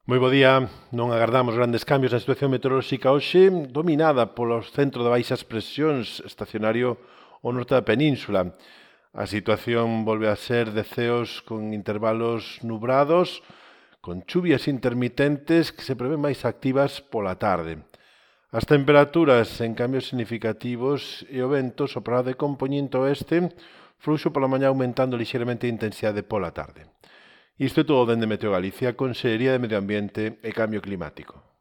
Moi bo día, non agardamos grandes cambios na situación meteorolóxica hoxe, dominada polo centro de baixas presións estacionario ao norte da península. A situación volve a ser de ceos con intervalos nubrados, con chuvias intermitentes que se prevén máis activas pola tarde. As temperaturas en cambios significativos e o vento soprará de compoñente oeste, fluxo pola mañá aumentando lixeiramente a intensidade pola tarde. Isto é todo dende Meteo Galicia, Consellería de Medio Ambiente e Cambio Climático.